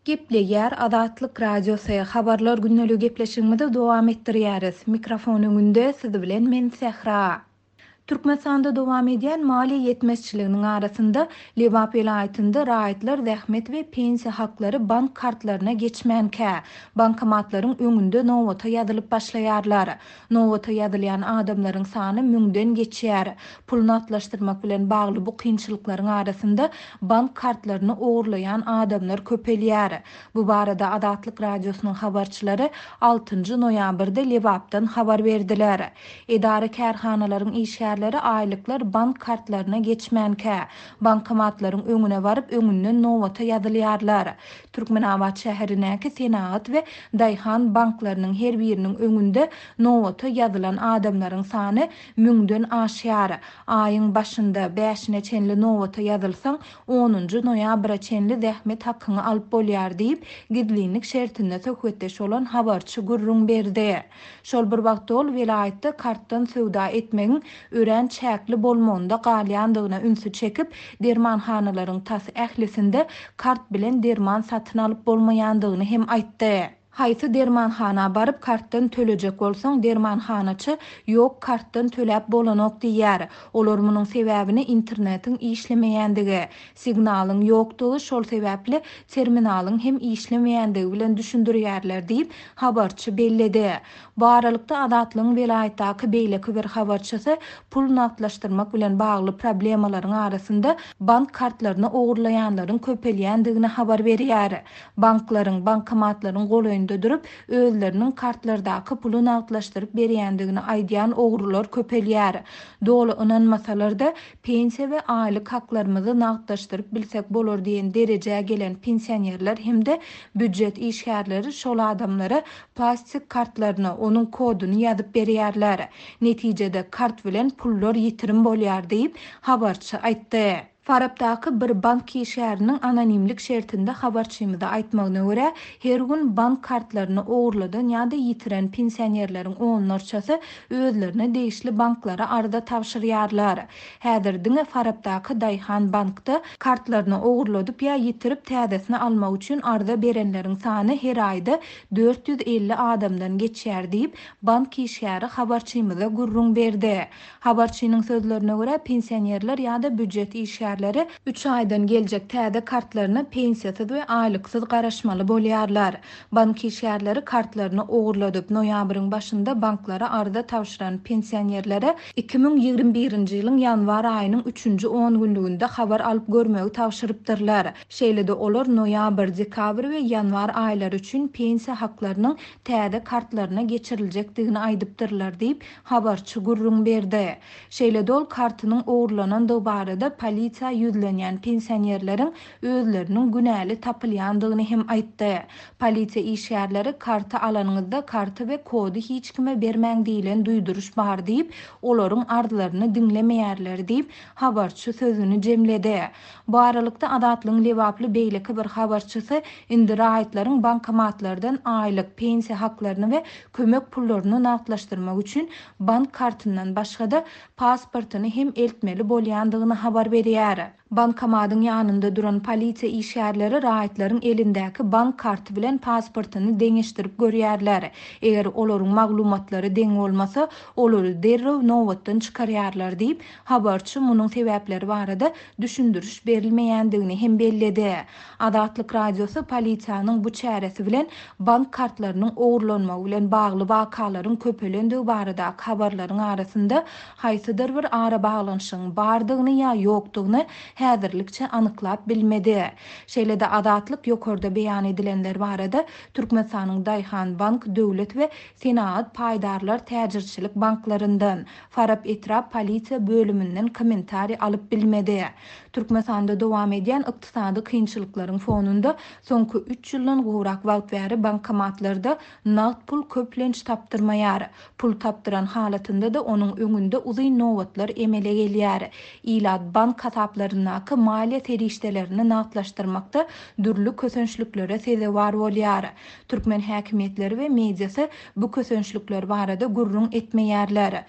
Gepleýär Azatlyk Radiosy, Habarlar gündeligi gepleşigimizi dowam etdirýäris. Mikrofon öňünde siz bilen men Sähra. Türkmenistanda dowam edýän maliýe ýetmezçiliginiň arasynda, Lebap welaýatynda raýatlar zähmet we pensiýa haklary bank kartlaryna geçmänkä, bankomatlaryň öňünde nobata ýazylyp başlaýarlar. Nobata ýazylýan adamlaryň sany müňden geçýär. Pul nagtlaşdyrmak bilen bagly bu kynçylyklaryň arasynda bank kartlaryny ogurlaýan adamlar köpelýär. Bu barada Azatlyk Radiosynyň habarçylary altynjy noýabrda Lebapdan habar berdiler. Edara-kärhanalaryň işgärleri aýlyklar bank kartlaryna geçmänkä, bankomatlaryň öňüne baryp, öňünden nobata ýazylýarlar. Türkmenabat şäherindäki Senagat we Daýhan banklarynyň her biriniň öňünde nobata ýazylan adamlaryň sany müňden aşýar. Aýyň başynda, bäşine çenli nobata ýazylsaň, onunjy noýabra çenli zähmet hakyňy alyp bolýar diýip, gizlinlik şertinde söhbetdeş bolan habarçy gürrüň berdi. Şol bir wagtda ol welaýatda kartdan söwda etmegiň örän çäkli bolmagynda galýandygyna ünsi çekip, dermanhanalaryň tas ählisinde kart bilen derman satyn alyp bolmaýandygyny hem aýtdy. Haýsy dermanhana baryp kartdan tölejek bolsaň, dermanhanaçy Ýok, kartdan töläp bolanok diýýär. Olar munuň sebäbini internetiň işlemeýändigi, signalyň ýokdugy, şol sebäpli terminalyň hem işlemeýändigi bilen düşündirýärler diýip, habarçy belledi. Bu aralykda, Azatlygyň welaýatdaky beýleki bir habarçysy pul nagtlaşdyrmak bilen bagly problemalaryň arasynda bank kartlaryny ogurlaýanlaryň köpelýändigini habar berýär. Banklaryň, bankomatlaryň golaýynda durup, özleriniň kartlardaky puly nagtlaşdyryp berýändigini aýdýan ogrular köpelýär. Doly ynanmasalar-da, pensiýa we aýlyk haklarymyzy nagtlaşdyryp bilsek bolar diýen derejä gelen pensionerler hem-de býujet işgärleri şol adamlara plastik kartlaryna onuň koduny ýazyp berýärler. Netijede, kart bilen pullar ýitirim bolýar diýip, habarçy aýtdy. Farapdaky bir bank işgäriniň anonimlik şertinde habarçymyza aýtmagyna görä, her gün bank kartlaryny ogurladan ýa-da ýitiren pensionerleriň onlarçasy özlerine degişli banklara arza tabşyrýarlar. Häzir diňe Farapdaky Daýhan bankda kartlaryny ogurladyp ýa ýitirip täzesini almak üçin arza berenleriň sany her aýda 450 adamdan geçýär diýip, bank işgäri habarçymyza gürrüň berdi. Habarçynyň sözlerine görä, pensionerler ýa-da býujet işgärleri üç aýdan geljek täze kartlaryna pensiýasyz we aýlyksyz garaşmaly bolýarlar. Bank işgärleri kartlaryny ogurladyp, noýabryň başynda banklara arza tabşyran pensionerlere 2021-nji ýylyň ýanwar aýynyň üçünji ongünlüginde habar alyp görmegi tabşyrypdyrlar. Şeýle-de olar noýabr, dekabr we ýanwar aýlary üçin pensiýa haklarynyň täze kartlaryna geçiriljekdigini aýdypdyrlar diýip, habarçy gürrüň berdi. Şeýle-de ol kartynyň ogurlanandygy barada polisiýa ýüzlenýän pensionerleriň özleriniň günäli tapylýandygyny hem aýtdy. Polisiýa işgärleri karty alanyňyzda karty we kody hiç kime bermäň diýlen duýduryş bar diýip, olaryň arzlaryny diňlemeýärler diýip, habarçy sözüni jemledi. Bu aralykda, Azatlygyň lebaply beýleki bir habarçysy indi raýatlaryň bankomatlardan aýlyk, pensiýa haklaryny we kömek pullaryny nagtlaşdyrmak üçin bank kartyndan başga-da, pasportyny hem eltmeli bolýandygyny habar berýär. Bankomatyň ýanynda duran polisiýa işgärleri raýatlaryň elindäki bank karty bilen pasportyny deňeşdirip görýärler. Eger olaryň maglumatlary deň bolmasa, olary derrew nobatdan çykarýarlar diýip, habarçy munuň sebäpleri barada düşündiriş berilmeýändigini hem belledi. Azatlyk Radiosy polisiýanyň bu çäresi bilen bank kartlarynyň ogurlanmagy bilen bagly wakalaryň köpelendigi baradaky habarlaryň arasynda haýsydyr bir arabaglanyşygyň bardygyny ýa ýokdugyny häzirlikçe anyklap bilmedi. Şeýle-de Azatlyk ýokarda beýan edilenler barada Türkmenistanyň Daýhan bank döwlet we Senagat paýdarlar täjirçilik banklaryndan, Farap etrap polisiýa bölüminden kommentariý alyp bilmedi. Türkmenistanda dowam edýän ykdysady kynçylyklaryň fonunda soňky üç ýyldan gowrak wagt bäri bankomatlarda nagt pul köplenç tapdyrmaýar. Pul tapdyran halatynda-da onuň öňünde uzyn nobatlar emele gelýär. Ilat bank hasaplaryndaky maliýe serişdelerini nagtlaşdyrmakda dürli kösençliklere sezewar bolýar. Türkmen häkimiýetleri we mediasy bu kösençlikler barada gürrüň etmeýärler.